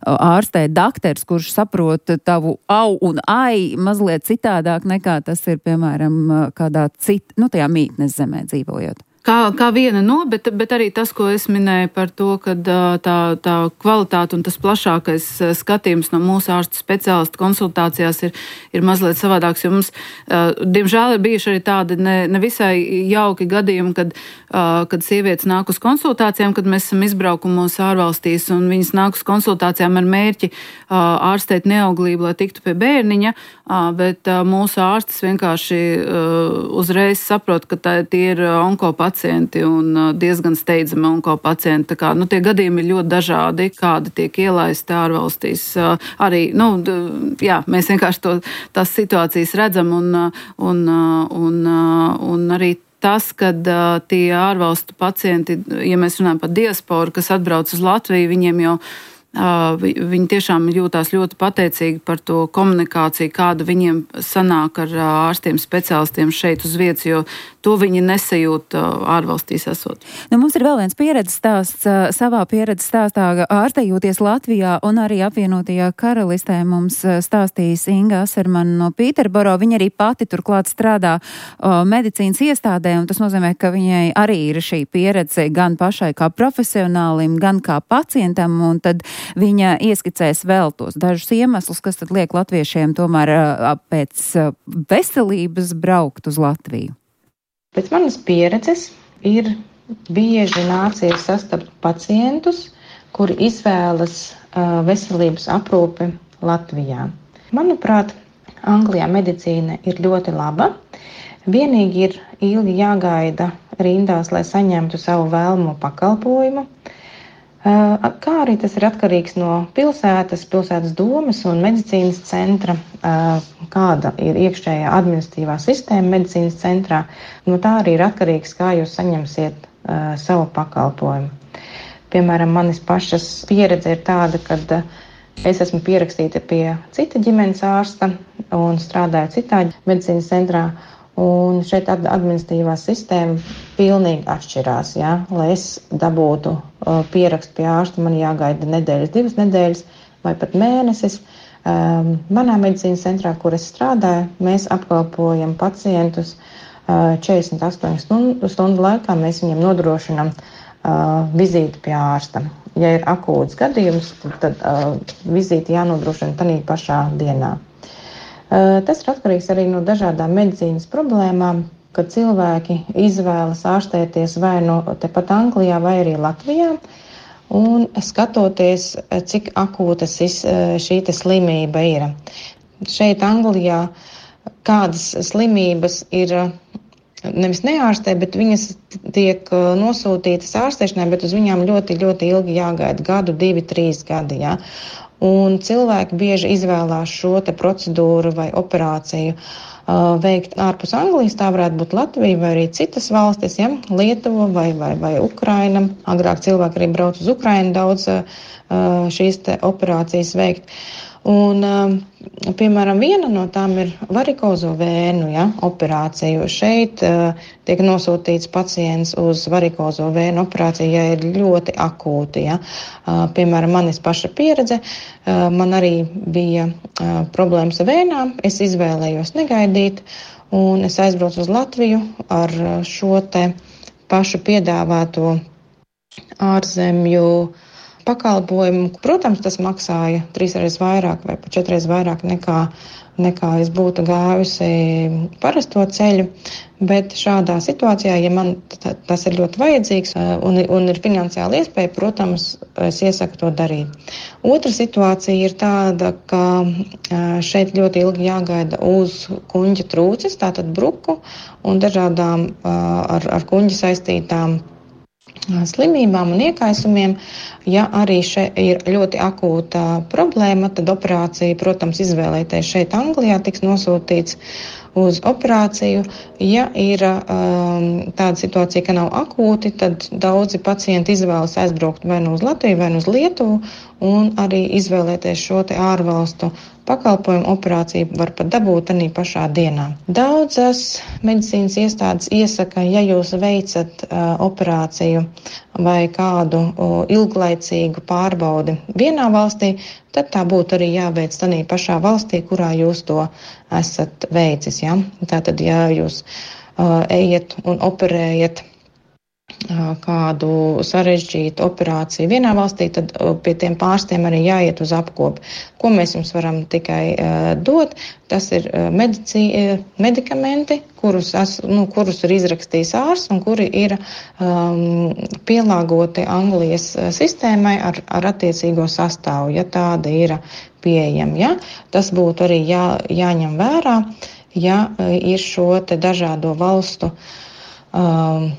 H: ārstē dakters, kurš saprot tavu au un ai mazliet citādāk nekā tas ir, piemēram, kādā cit, nu, tajā mītnes zemē dzīvojot.
B: Kā, kā viena no, bet, bet arī tas, ko es minēju par to, ka tā, tā kvalitāte un tas plašākais skatījums no mūsu ārstu speciālistu konsultācijās ir, ir mazliet savādāks, jo mums, diemžēl, ir bijuši arī tādi ne, nevisai jauki gadījumi, kad, kad sievietes nāk uz konsultācijām, kad mēs esam izbraukumos ārvalstīs un viņas nāk uz konsultācijām ar mērķi ārstēt neauglību, lai tiktu pie bērniņa, bet mūsu ārstas vienkārši uzreiz saprot, ka tā, tie ir onkopacienti un diezgan steidzami onkopacienti. Tā kā, nu, tie gadījumi ir ļoti dažādi, kādi tiek ielaisti ārvalstīs. Arī, nu, jā, mēs vienkārši to, tās situācijas redzam un, un, un, un arī tas, kad tie ārvalstu pacienti, ja mēs runājam par diasporu, kas atbrauc uz Latviju, viņiem jau viņi tiešām jūtās ļoti pateicīgi par to komunikāciju, kāda viņiem sanāk ar ārstiem speciālistiem šeit uz vietas, jo to viņi nesajūt ārvalstīs esot.
H: Nu, mums ir vēl viens pieredzes stāsts. Savā pieredzes stāstā ārstējoties Latvijā un arī apvienotajā karalistē mums stāstīs Inga Asermana no Pīterboro. Viņa arī pati turklāt strādā o, medicīnas iestādē, un tas nozīmē, ka viņai arī ir šī pieredze gan pašai kā profesionālim, gan kā pacientam, un tad viņa ieskicēs vēl tos dažus iemeslus, kas tad liek latviešiem tomēr pēc veselības braukt uz Latviju.
K: Pēc manas pieredzes ir bieži nācies sastapt pacientus, kuri izvēlas uh, veselības aprūpi Latvijā. Manuprāt, Anglijā medicīna ir ļoti laba. Vienīgi ir ilgi jāgaida rindās, lai saņemtu savu vēlamo pakalpojumu. Uh, kā arī tas ir atkarīgs no pilsētas, pilsētas domes un medicīnas centra, uh, kāda ir iekšējā administratīvā sistēma medicīnas centrā. No tā arī ir atkarīgs, kā jūs saņemsiet uh, savu pakalpojumu. Piemēram, manis pašas pieredze ir tāda, ka uh, es esmu pierakstīta pie cita ģimenes ārsta un strādāju citā medicīnas centrā. Un šeit administratīvā sistēma pilnīgi atšķirās. Ja? Lai es dabūtu uh, pierakstu pie ārsta, man jāgaida nedēļas, divas nedēļas vai pat mēnesis. Um, manā medicīnas centrā, kur es strādāju, mēs apkalpojam pacientus uh, četrdesmit astoņu stundu, stundu laikā. Mēs viņiem nodrošinām uh, vizīti pie ārsta. Ja ir akūts gadījums, tad, tad uh, vizīti jānodrošina tanī pašā dienā. Tas ir atkarīgs arī no dažādām medicīnas problēmām, kad cilvēki izvēlas ārstēties vai no tepat Anglijā vai arī Latvijā. Un skatoties, cik akūtas šī slimība ir. Šeit Anglijā kādas slimības ir nevis neārstē, bet viņas tiek nosūtītas ārstēšanai, bet uz viņām ļoti, ļoti ilgi jāgaida, gadu, divi, trīs gadi. Ja? Un cilvēki bieži izvēlās šo te procedūru vai operāciju uh, veikt ārpus Anglijas. Tā varētu būt Latvija vai arī citas valstis, ja? Lietuva vai, vai, vai Ukraina. Agrāk cilvēki arī brauc uz Ukrainu daudz uh, šīs te operācijas veikt. Un, uh, piemēram, viena no tām ir varikozo vēnu, ja, operācija. Šeit uh, tiek nosūtīts pacients uz varikozo vēnu operāciju, ja ir ļoti akūti. Ja. Uh, piemēram, manis paša pieredze, uh, man arī bija uh, problēmas ar vēnām. Es izvēlējos negaidīt, un es aizbraucu uz Latviju ar šo te pašu piedāvāto ārzemju pakalpojumu. Protams, tas maksāja trīsreiz vairāk vai pat četreiz vairāk nekā, nekā es būtu gājusi parasto ceļu, bet šādā situācijā, ja man tas ir ļoti vajadzīgs un, un ir finansiāli iespēja, protams, es iesaku to darīt. Otra situācija ir tāda, ka šeit ļoti ilgi jāgaida uz kuņģa trūces, tātad bruku un dažādām ar, ar kuņģi saistītām slimībām un iekaisumiem. Ja arī šeit ir ļoti akūta problēma, tad operācija, protams, izvēlēties šeit Anglijā tiks nosūtīts uz operāciju. Ja ir um, tāda situācija, ka nav akūti, tad daudzi pacienti izvēlas aizbraukt vai nu uz Latviju, vai nu uz Lietuvu un arī izvēlēties šo te ārvalstu pakalpojumu operāciju var pat dabūt arī pašā dienā. Daudzas medicīnas iestādes iesaka, ja jūs veicat uh, operāciju vai kādu uh, ilglaicīgu pārbaudi vienā valstī, tad tā būtu arī jāveic tādā pašā valstī, kurā jūs to esat veicis. Ja? Tātad, ja jūs uh, ejat un operējat kādu sarežģītu operāciju vienā valstī, tad pie tiem pārstiem arī jāiet uz apkopi. Ko mēs jums varam tikai uh, dot, tas ir uh, medicī, medikamenti, kurus, es, nu, kurus ir izrakstījis ārsts un kuri ir um, pielāgoti Anglijas sistēmai ar, ar attiecīgo sastāvu, ja tāda ir pieejama. Ja? Tas būtu arī jā, jāņem vērā, ja ir šo te dažādo valstu um,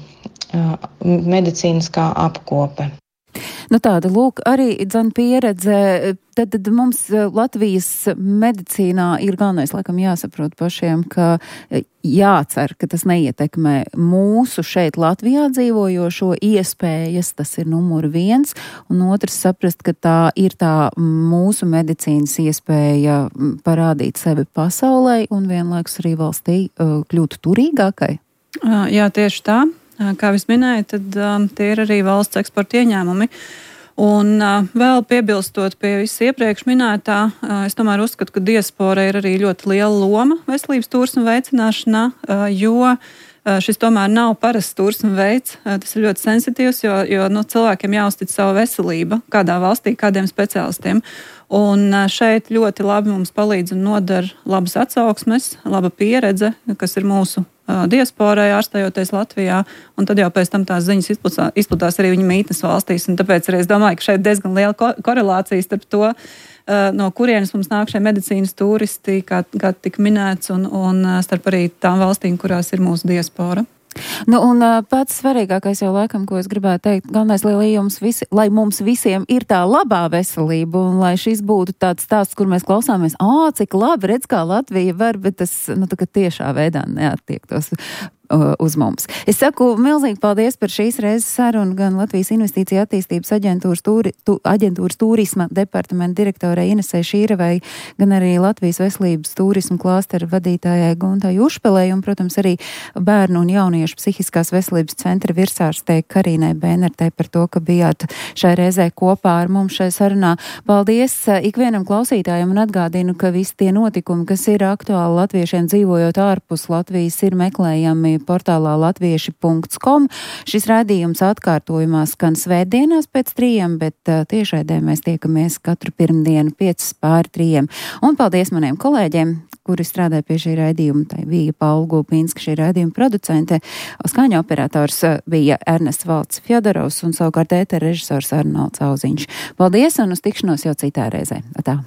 K: medicīniskā apkope.
H: Nu tāda, lūk, arī dzan pieredze, tad, tad mums Latvijas medicīnā ir galvenais, laikam, jāsaprot pašiem, ka jācer, ka tas neietekmē mūsu šeit Latvijā dzīvojošo iespējas, tas ir numur viens, un otrs saprast, ka tā ir tā mūsu medicīnas iespēja parādīt sevi pasaulē un vienlaikus arī valstī kļūt turīgākai.
E: Jā, tieši tā. Kā jūs minējat, tad um, tie ir arī valsts eksporta ieņēmumi. Un uh, vēl piebilstot pie viss iepriekš minētā, uh, es tomēr uzskatu, ka diaspora ir arī ļoti liela loma veselības turisma veicināšanā, uh, jo uh, šis tomēr nav parasts turisma veids. Uh, tas ir ļoti sensitīvs, jo, jo nu, cilvēkiem jāuztic savu veselību kādā valstī, kādiem speciālistiem. Un uh, šeit ļoti labi mums palīdz un nodara labas atsauksmes, laba pieredze, kas ir mūsu diasporai ārstējoties Latvijā, un tad jau pēc tam tās ziņas izplatās, izplatās arī viņa mītnes valstīs, un tāpēc arī es domāju, ka šeit diezgan liela ko- korelācija starp to, no kurienes mums nāk šie medicīnas turisti, kā, kā tika minēts, un, un starp arī tām valstīm, kurās ir mūsu diaspora.
H: Nu, un pats svarīgākais jau laikam, ko es gribētu teikt, galvenais, lai, jums visi, lai mums visiem ir tā labā veselība, un lai šis būtu tāds stāsts, kur mēs klausāmies, ā, cik labi, redz, kā Latvija var, bet tas, nu, tā kā tiešā veidā neattiektos uz mums. Es saku milzīgi paldies par šīs reizes sarunu gan Latvijas Investīcija attīstības aģentūras, tūri, tu, aģentūras turisma departamenta direktorai Inesei Šīrevai, gan arī Latvijas veselības turisma klāstera vadītājai Guntai Ušpelei un, protams, arī bērnu un jauniešu psihiskās veselības centra virsārstei Karīnai Bēnertei par to, ka bijāt šai reizē kopā ar mums šai sarunā. Paldies ikvienam klausītājam un atgādinu, ka visi tie notikumi, kas ir aktuāli latviešiem dzīvojot ārpus Latvijas, ir meklējami portālā latvieši punkts com. Šis raidījums atkārtojumā skan svētdienās pēc trījiem, bet uh, tiešraidē mēs tiekamies katru pirmdienu piecas pāri trījiem. Un paldies maniem kolēģiem, kuri strādāja pie šī raidījuma. Tā bija Paula Gulpinska, šī raidījuma producente. Skaņa operators bija Ernests Valds Fjodorovs un savukārt ētera režisors Arnolds Auziņš. Paldies un uz tikšanos jau citā reizē. Atā.